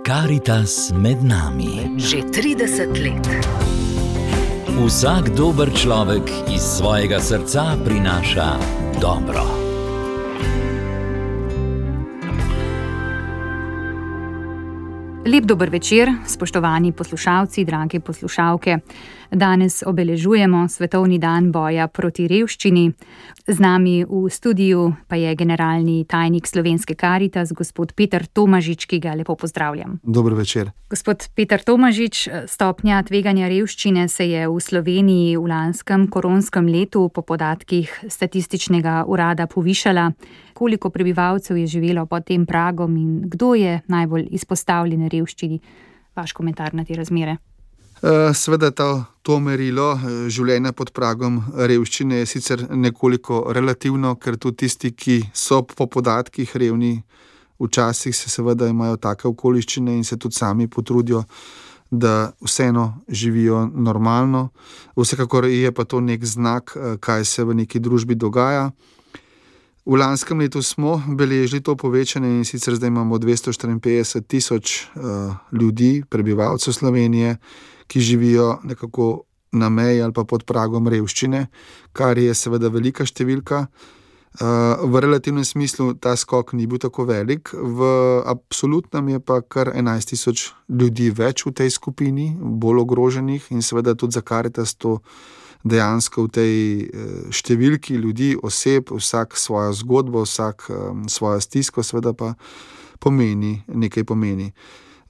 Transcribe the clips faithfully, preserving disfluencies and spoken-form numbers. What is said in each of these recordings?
Karitas med nami. Že trideset let. Vsak dober človek iz svojega srca prinaša dobro. Lep dober večer, spoštovani poslušalci, drage poslušalke. Danes obeležujemo Svetovni dan boja proti revščini. Z nami v studiu pa je generalni tajnik Slovenske Karitas, gospod Peter Tomažič, ki ga lepo pozdravljam. Dober večer. Gospod Peter Tomažič, stopnja tveganja revščine se je v Sloveniji v lanskem koronskem letu po podatkih Statističnega urada povišala. Koliko prebivalcev je živelo pod tem pragom in kdo je najbolj izpostavljen revščini? Vaš komentar na te razmere. Seveda to, to merilo življenja pod pragom revščine je sicer nekoliko relativno, ker tudi tisti, ki so po podatkih revni, včasih se seveda imajo take okoliščine in se tudi sami potrudijo, da vseeno živijo normalno. Vsekakor je pa to nek znak, kaj se v neki družbi dogaja. V lanskem letu smo beležili to povečanje in sicer zdaj imamo dvesto štiriinpetdeset tisoč uh, ljudi, prebivalcev Slovenije, ki živijo nekako na meji ali pa pod pragom revščine, kar je seveda velika številka. Uh, v relativnem smislu ta skok ni bil tako velik, v absolutnem je pa kar enajst tisoč ljudi več v tej skupini, bolj ogroženih in seveda tudi za Karitas to dejansko v tej številki ljudi, oseb, vsak svojo zgodbo, vsak um, svojo stisko, seveda pa pomeni, nekaj pomeni.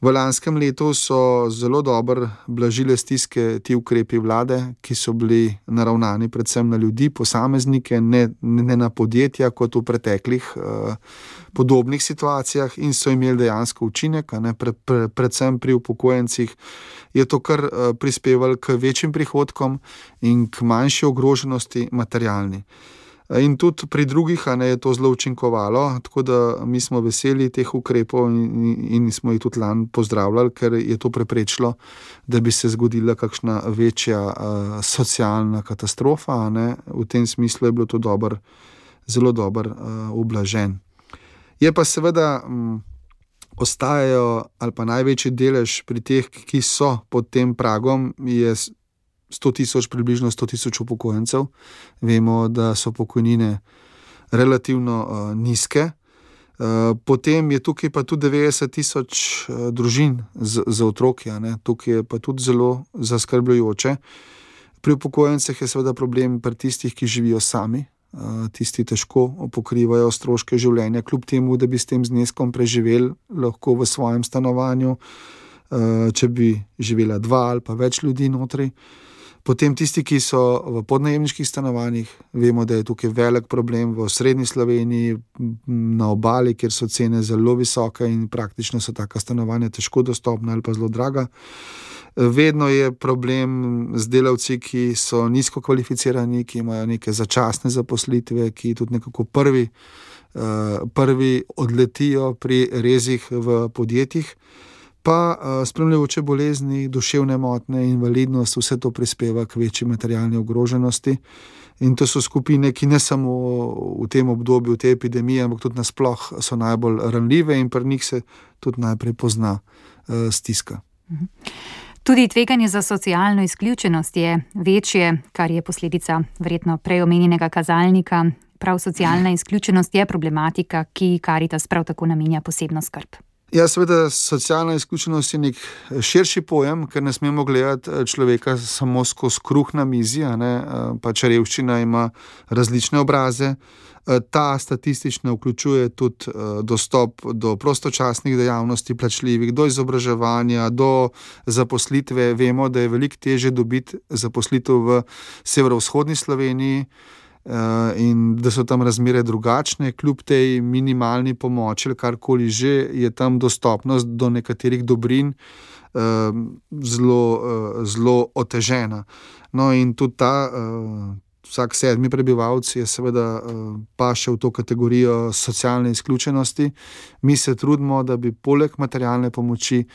V lanskem letu so zelo dobro blažile stiske ti ukrepi vlade, ki so bili naravnani predvsem na ljudi, posameznike, ne, ne na podjetja kot v preteklih uh, podobnih situacijah in so imeli dejansko učinek, ne, pre, pre, predvsem pri upokojencih je to kar uh, prispevalo k večjim prihodkom in k manjši ogroženosti materialni. In tudi pri drugih ne, je to zelo učinkovalo, tako da mi smo veseli teh ukrepov in, in smo jih tudi lani pozdravljali, ker je to preprečilo, da bi se zgodila kakšna večja uh, socialna katastrofa. Ne. V tem smislu je bilo to dober, zelo dobro uh, ublažen. Je pa seveda um, ostajajo ali pa največji delež pri teh, ki so pod tem pragom, je sto tisoč, približno sto tisoč upokojencev. Vemo, da so pokojnine relativno uh, nizke. Uh, potem je tukaj pa tudi devetdeset tisoč uh, družin z, z otroki. Ne? Tukaj je pa tudi zelo zaskrbljujoče. Pri upokojencih je seveda problem pri tistih, ki živijo sami. Uh, tisti težko pokrivajo stroške življenja, kljub temu, da bi s tem zneskom preživeli lahko v svojem stanovanju, uh, če bi živela dva ali pa več ljudi notri. Potem tisti, ki so v podnajemniških stanovanjih, vemo, da je tukaj velik problem v srednji Sloveniji, na obali, kjer so cene zelo visoke in praktično so taka stanovanja težko dostopna ali pa zelo draga. Vedno je problem z delavci, ki so nizko kvalificirani, ki imajo neke začasne zaposlitve, ki tudi nekako prvi, prvi odletijo pri rezih v podjetjih. Pa spremljajoče bolezni, duševne motnje, invalidnost, vse to prispeva k večji materialni ogroženosti. In to so skupine, ki ne samo v tem obdobju, v tej epidemiji, ampak tudi nasploh so najbolj ranljive in pri njih se tudi najprej pozna uh, stiska. Tudi tveganje za socialno izključenost je večje, kar je posledica verjetno prej omenjenega kazalnika. Prav socialna izključenost je problematika, ki Karitas prav tako namenja posebno skrb. Ja, seveda, socialna izključenost je nek širši pojem, ker ne smemo gledati človeka samo skozi kruh na mizi, ne, pač revščina ima različne obraze. Ta statistično vključuje tudi dostop do prostočasnih dejavnosti, plačljivih, do izobraževanja, do zaposlitve. Vemo, da je veliko težje dobiti zaposlitev v severovzhodni Sloveniji, in da so tam razmere drugačne, kljub tej minimalni pomoči ali karkoli že, je tam dostopnost do nekaterih dobrin zelo, zelo otežena. No in tudi ta, vsak sedmi prebivalec je seveda paše v to kategorijo socialne izključenosti. Mi se trudimo, da bi poleg materialne pomoči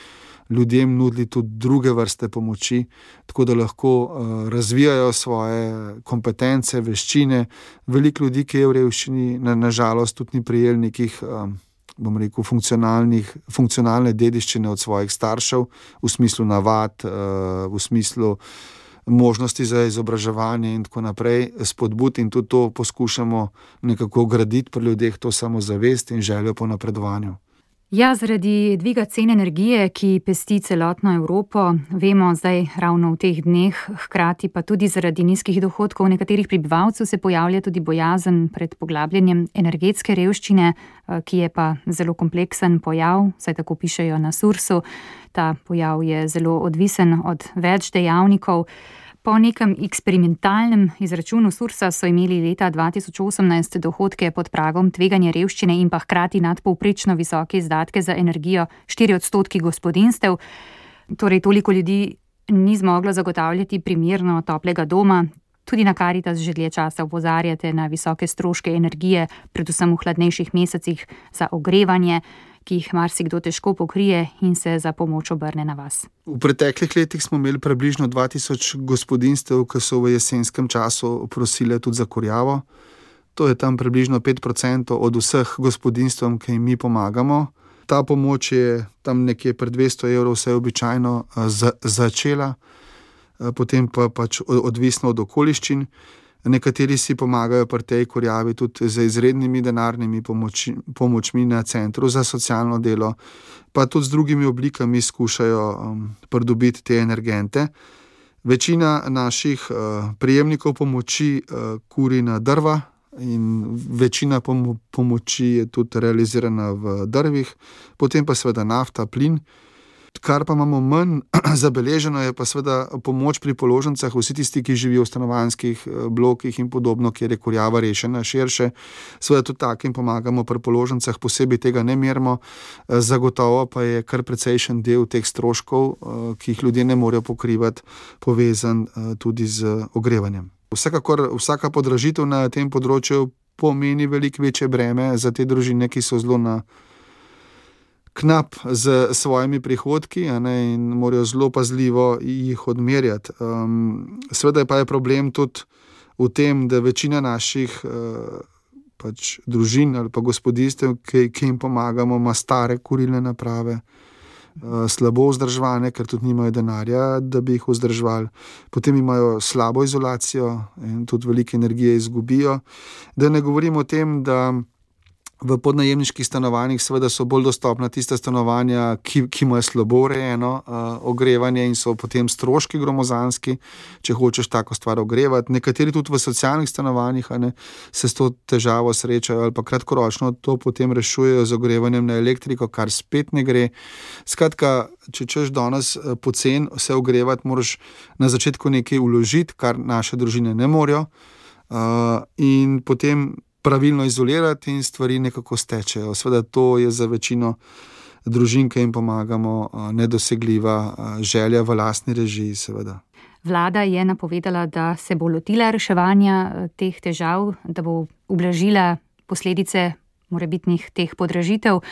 ljudem nudili tudi druge vrste pomoči, tako da lahko uh, razvijajo svoje kompetence, veščine. Veliko ljudi, ki je v revščini, na, na žalost tudi ni prijel nekih um, bom rekel, funkcionalne dediščine od svojih staršev, v smislu navad, v smislu možnosti za izobraževanje in tako naprej, spodbud, in tudi to poskušamo nekako graditi pri ljudeh, to samozavest in željo po napredovanju. Ja, zaradi dviga cen energije, ki pesti celotno Evropo, vemo zdaj ravno v teh dneh, hkrati pa tudi zaradi nizkih dohodkov nekaterih prebivalcev se pojavlja tudi bojazen pred poglabljanjem energetske revščine, ki je pa zelo kompleksen pojav, saj tako pišejo na Sursu. Ta pojav je zelo odvisen od več dejavnikov. Po nekem eksperimentalnem izračunu Sursa so imeli leta dva tisoč osemnajst dohodke pod pragom tveganja revščine in pa hkrati nadpovprečno visoke izdatke za energijo štiri odstotki gospodinjstev. Torej toliko ljudi ni zmoglo zagotavljati primerno toplega doma. Tudi na Karitas že dlje časa opozarjate na visoke stroške energije, predvsem v hladnejših mesecih za ogrevanje, ki jih marsikdo težko pokrije in se za pomoč obrne na vas. V preteklih letih smo imeli približno dva tisoč gospodinjstev, ki so v jesenskem času prosile tudi za kurjavo. To je tam približno pet procentov od vseh gospodinjstvom, ki jim mi pomagamo. Ta pomoč je tam nekje pri dvesto evrov vse običajno za, začela, potem pa pač odvisno od okoliščin. Nekateri si pomagajo pri tej kurjavi tudi z izrednimi denarnimi pomoči, pomočmi na Centru za socialno delo, pa tudi z drugimi oblikami skušajo um, pridobiti te energente. Večina naših uh, prejemnikov pomoči uh, kuri na drva in večina pom- pomoči je tudi realizirana v drvih, potem pa seveda nafta, plin. Kar pa imamo manj zabeleženo, je pa seveda pomoč pri položnicah, vsi tisti, ki živijo v stanovanjskih blokih in podobno, kjer je kurjava rešena širše. Seveda tudi takim pomagamo pri položnicah, posebej tega ne merimo, zagotovo pa je kar precejšen del teh stroškov, ki jih ljudje ne morejo pokrivati, povezan tudi z ogrevanjem. Vsekakor vsaka podražitev na tem področju pomeni veliko večje breme za te družine, ki so zelo na knap z svojimi prihodki, a ne, in morajo zelo pazljivo jih odmerjati. Um, seveda pa je problem tudi v tem, da večina naših uh, pač družin ali pa gospodinjstev, ki, ki jim pomagamo, ima stare kurilne naprave, uh, slabo vzdrževane, ker tudi nimajo denarja, da bi jih vzdrževali. Potem imajo slabo izolacijo in tudi veliko energije izgubijo. Da ne govorim o tem, da v podnajemniških stanovanjih seveda so bolj dostopna tista stanovanja, ki, ki imajo slabo urejeno uh, ogrevanje in so potem stroški gromozanski, če hočeš tako stvar ogrevati. Nekateri tudi v socialnih stanovanjih, ne, se s to težavo srečajo ali pa kratkoročno to potem rešujejo z ogrevanjem na elektriko, kar spet ne gre. Skratka, če češ danes pocen se ogrevati, moraš na začetku nekaj vložiti, kar naše družine ne morejo, uh, in potem pravilno izolirati in stvari nekako stečejo. Sveda to je za večino družin, ki jim pomagamo, nedosegljiva želja v lastni režiji, seveda. Vlada je napovedala, da se bo lotila reševanja teh težav, da bo ublažila posledice morebitnih teh podražitev.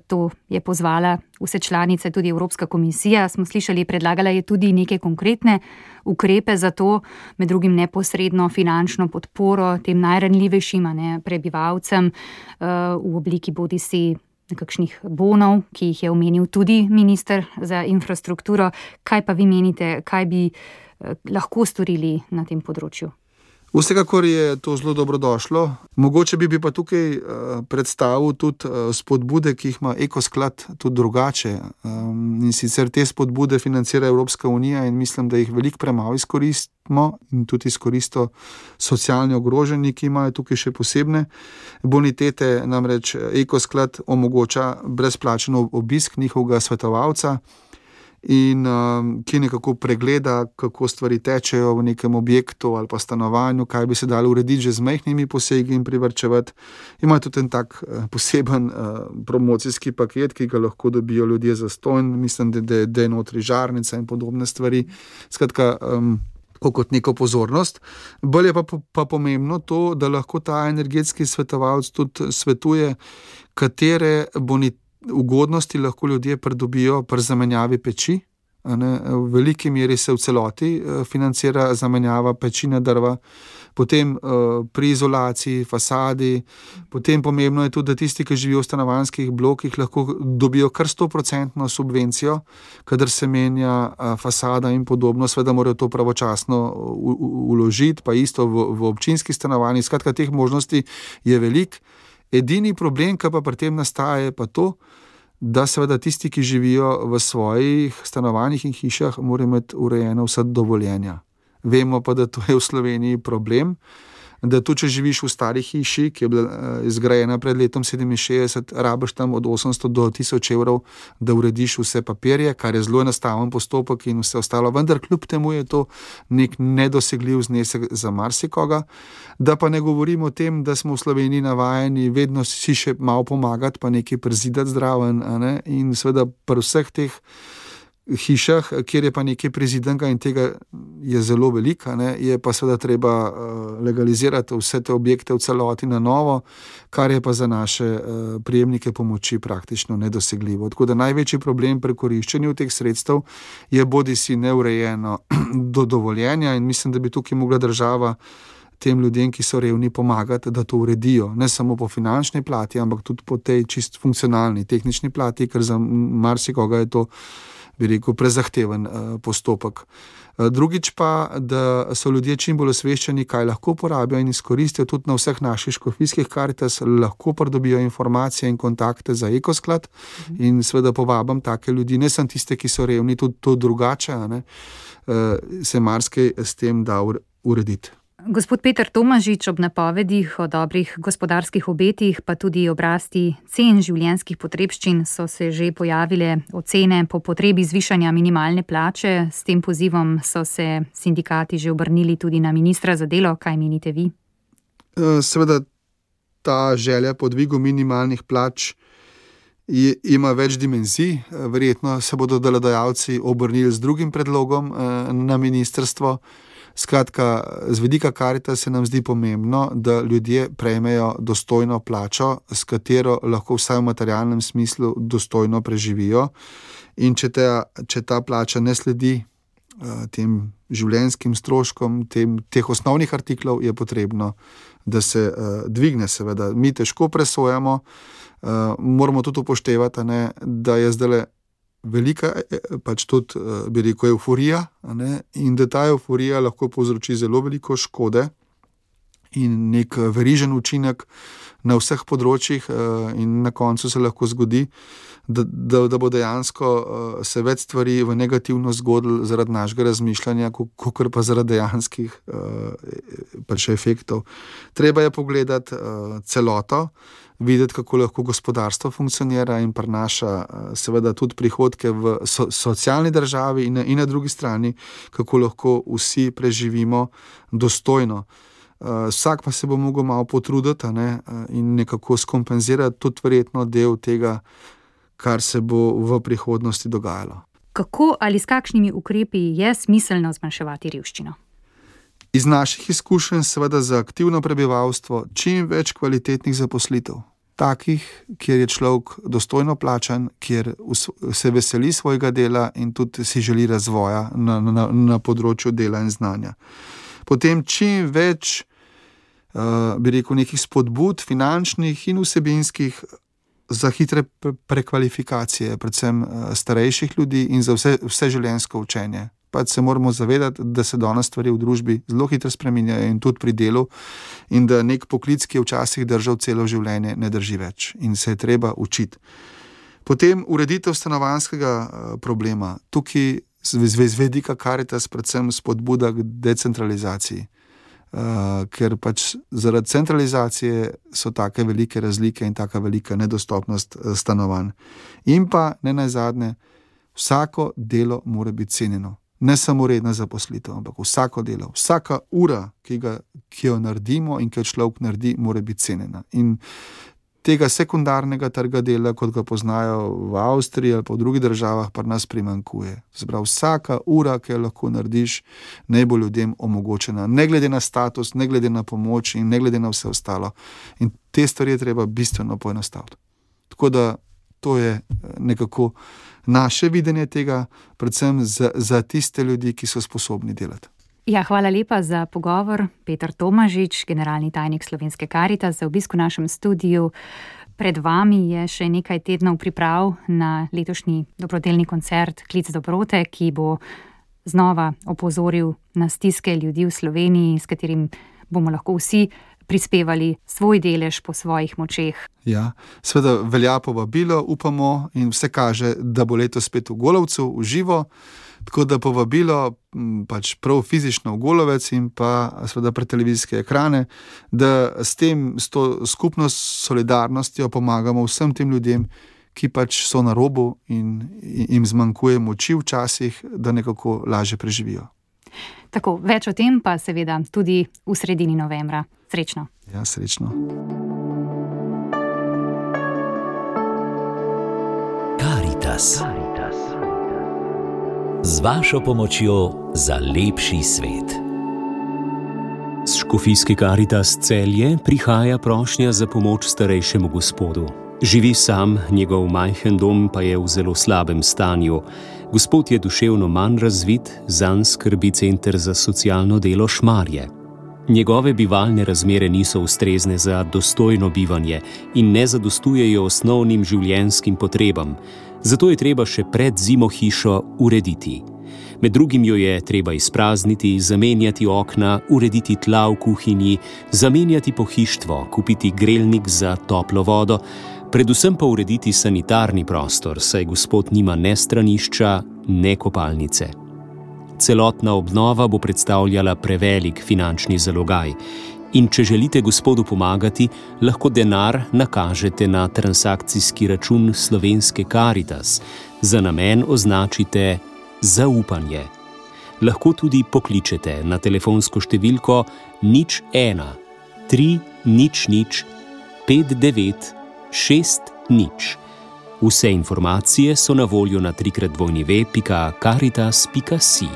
To je pozvala vse članice, tudi Evropska komisija. Smo slišali, predlagala je tudi neke konkretne ukrepe za to, med drugim neposredno finančno podporo tem najranljivejšim, ne, prebivalcem v obliki bodisi nekakšnih bonov, ki jih je omenil tudi minister za infrastrukturo. Kaj pa vi menite, kaj bi lahko storili na tem področju? Vsekakor je to zelo dobrodošlo. Mogoče bi, bi pa tukaj uh, predstavil tudi uh, spodbude, ki jih ima Ekosklad tudi drugače. Um, in sicer te spodbude financira Evropska unija in mislim, da jih veliko premalo izkoristimo in tudi izkoristo socialni ogroženi, ki imajo tukaj še posebne bonitete. Namreč Ekosklad omogoča brezplačen obisk njihovega svetovalca in um, ki nekako pregleda, kako stvari tečejo v nekem objektu ali pa stanovanju, kaj bi se dalo urediti že z majhnimi posegi in privarčevati. Ima tudi en tak uh, poseben uh, promocijski paket, ki ga lahko dobijo ljudje za stonj. Mislim, da, da, da je notri žarnica in podobne stvari. Skratka, um, kot neko pozornost. Bolj je pa, pa pomembno to, da lahko ta energetski svetovalec tudi svetuje, katere bonitete ugodnosti lahko ljudje pridobijo pri zamenjavi peči. Ne? V veliki meri se v celoti financira zamenjava peči na drva, potem uh, pri izolaciji, fasadi, potem pomembno je tudi, da tisti, ki živijo v stanovanjskih blokih, lahko dobijo kar sto procentno subvencijo, kadar se menja uh, fasada in podobno, seveda morajo to pravočasno vložiti, pa isto v, v občinskih stanovanjih. Skratka, teh možnosti je veliko. Edini problem, ki pa pri tem nastaja, je pa to, da seveda tisti, ki živijo v svojih stanovanjih in hišah, morajo imeti urejeno vsa dovoljenja. Vemo pa, da to je v Sloveniji problem, da tudi če živiš v stari hiši, ki je bila izgrajena pred letom sedeminšestdeset, rabiš tam od osemsto do tisoč evrov, da urediš vse papirje, kar je zelo enostaven postopek in vse ostalo, vendar kljub temu je to nek nedosegljiv znesek za marsikoga. Da pa ne govorimo o tem, da smo v Sloveniji navajeni vedno si še malo pomagati, pa nekaj prezidati zdraven, a ne? In seveda pri vseh teh hišah, kjer je pa nekaj prezidenka in tega je zelo velika, ne, je pa seveda treba uh, legalizirati vse te objekte v celoti na novo, kar je pa za naše uh, prejemnike pomoči praktično nedosegljivo. Tako da največji problem pri koriščenju teh sredstev je bodisi neurejeno do dovoljenja in mislim, da bi tukaj mogla država tem ljudem, ki so revni, pomagati, da to uredijo. Ne samo po finančni plati, ampak tudi po tej čist funkcionalni, tehnični plati, ker za marsikoga je to, bi rekel, prezahteven uh, postopek. Uh, drugič pa, da so ljudje čim bolj osveščeni, kaj lahko porabijo in izkoristijo tudi na vseh naših škofijskih Karitas, lahko pridobijo informacije in kontakte za Ekosklad mhm. in seveda povabim take ljudi, ne samo tiste, ki so revni, tudi to drugače, ne, uh, se marsikaj s tem da urediti. Gospod Peter Tomažič, ob napovedih o dobrih gospodarskih obetih, pa tudi obrasti cen življenjskih potrebščin so se že pojavile ocene po potrebi zvišanja minimalne plače. S tem pozivom so se sindikati že obrnili tudi na ministra za delo. Kaj menite vi? Seveda ta želja po dvigu minimalnih plač je, ima več dimenzij. Verjetno se bodo delodajalci obrnili z drugim predlogom na ministrstvo. Skratka, z vidika Karitas se nam zdi pomembno, da ljudje prejmejo dostojno plačo, s katero lahko vsaj v materialnem smislu dostojno preživijo. In če ta, če ta plača ne sledi uh, tem življenjskim stroškom, tem, teh osnovnih artiklov, je potrebno, da se uh, dvigne seveda. Mi težko presojamo, uh, moramo tudi upoštevati, ne, da je zdaj velika, pač tudi, bi rekel, euforija, ne? In da ta euforija lahko povzroči zelo veliko škode in nek verižen učinek na vseh področjih in na koncu se lahko zgodi, da, da, da bo dejansko se več stvari v negativno zgodilo zaradi našega razmišljanja, kakor pa zaradi dejanskih pač efektov. Treba je pogledati celoto, videti, kako lahko gospodarstvo funkcionira in prinaša seveda tudi prihodke v so, socialni državi in na, in na drugi strani, kako lahko vsi preživimo dostojno. Uh, vsak pa se bo mogel malo potruditi, ne, in nekako skompenzirati tudi verjetno del tega, kar se bo v prihodnosti dogajalo. Kako ali s kakšnimi ukrepi je smiselno zmanjševati revščino? Iz naših izkušenj seveda za aktivno prebivalstvo čim več kvalitetnih zaposlitev. Takih, kjer je človek dostojno plačan, kjer se veseli svojega dela in tudi si želi razvoja na, na, na področju dela in znanja. Potem čim več, uh, bi rekel, nekih spodbud, finančnih in vsebinskih za hitre prekvalifikacije, predvsem uh, starejših ljudi in za vse, vse življenjsko učenje. Pač se moramo zavedati, da se danes stvari v družbi zelo hitro spreminjajo in tudi pri delu in da nek poklic, ki je včasih držal celo življenje, ne drži več in se je treba učiti. Potem ureditev stanovanjskega problema. Tukaj z vidika Karitas predvsem spodbuda k decentralizaciji, uh, ker pač zaradi centralizacije so take velike razlike in taka velika nedostopnost stanovanj. In pa ne nazadnje, vsako delo mora biti cenjeno. Ne samo redna zaposlitev, ampak vsako delo, vsaka ura, ki, ga, ki jo naredimo in ki jo človek naredi, mora biti cenjena. In tega sekundarnega trga dela, kot ga poznajo v Avstriji ali pa v drugih državah, pa nas primanjkuje. Zbrav, vsaka ura, ki jo lahko narediš, naj bo ljudem omogočena, ne glede na status, ne glede na pomoč in ne glede na vse ostalo. In te stvari je treba bistveno poenostaviti. Tako da to je nekako naše videnje tega, predvsem za, za tiste ljudi, ki so sposobni delati. Ja, hvala lepa za pogovor. Peter Tomažič, generalni tajnik Slovenske Karitas, za obisk v našem studiu. Pred vami je še nekaj tednov priprav na letošnji dobrodelni koncert Klic dobrote, ki bo znova opozoril na stiske ljudi v Sloveniji, s katerim bomo lahko vsi prispevali svoj delež po svojih močeh. Ja, seveda velja povabilo, upamo, in vse kaže, da bo letos spet v Golovcu, v živo. Tako da povabilo pač prav fizično v Golovec in pa seveda pred televizijske ekrane, da s tem, s to skupno solidarnostjo pomagamo vsem tem ljudem, ki pač so na robu in jim zmanjkuje moči včasih, da nekako lažje preživijo. Tako, več o tem pa seveda tudi v sredini novembra. Srečno. Ja, srečno. Karitas. Z vašo pomočjo za lepši svet. S škofijske Karitas Celje prihaja prošnja za pomoč starejšemu gospodu. Živi sam, njegov majhen dom pa je v zelo slabem stanju. Gospod je duševno manj razvit, zanj skrbi Center za socialno delo Šmarje. Njegove bivalne razmere niso ustrezne za dostojno bivanje in ne zadostujejo osnovnim življenjskim potrebam, zato je treba še pred zimo hišo urediti. Med drugim jo je treba izprazniti, zamenjati okna, urediti tla v kuhinji, zamenjati pohištvo, kupiti grelnik za toplo vodo, predvsem pa urediti sanitarni prostor, saj gospod nima ne stranišča, ne kopalnice. Celotna obnova bo predstavljala prevelik finančni zalogaj in če želite gospodu pomagati, lahko denar nakažete na transakcijski račun Slovenske Karitas. Za namen označite zaupanje. Lahko tudi pokličete na telefonsko številko nič ena tri nič nič pet devet šest nič. Vse informacije so na voljo na trikrat dvojni ve pika karitas pika si.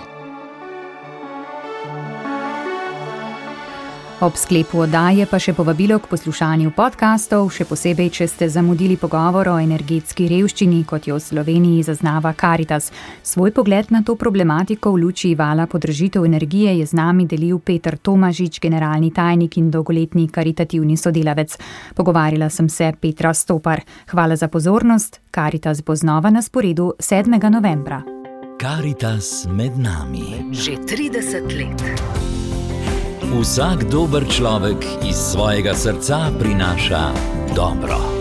Ob sklepu oddaje pa še povabilo k poslušanju podkastov, še posebej, če ste zamudili pogovor o energetski revščini, kot jo v Sloveniji zaznava Karitas. Svoj pogled na to problematiko v luči vala podražitev energije je z nami delil Peter Tomažič, generalni tajnik in dolgoletni karitativni sodelavec. Pogovarjala sem se Petra Stopar. Hvala za pozornost. Karitas bo znova na sporedu sedmega novembra. Karitas med nami. Že trideset let. Vsak dober človek iz svojega srca prinaša dobro.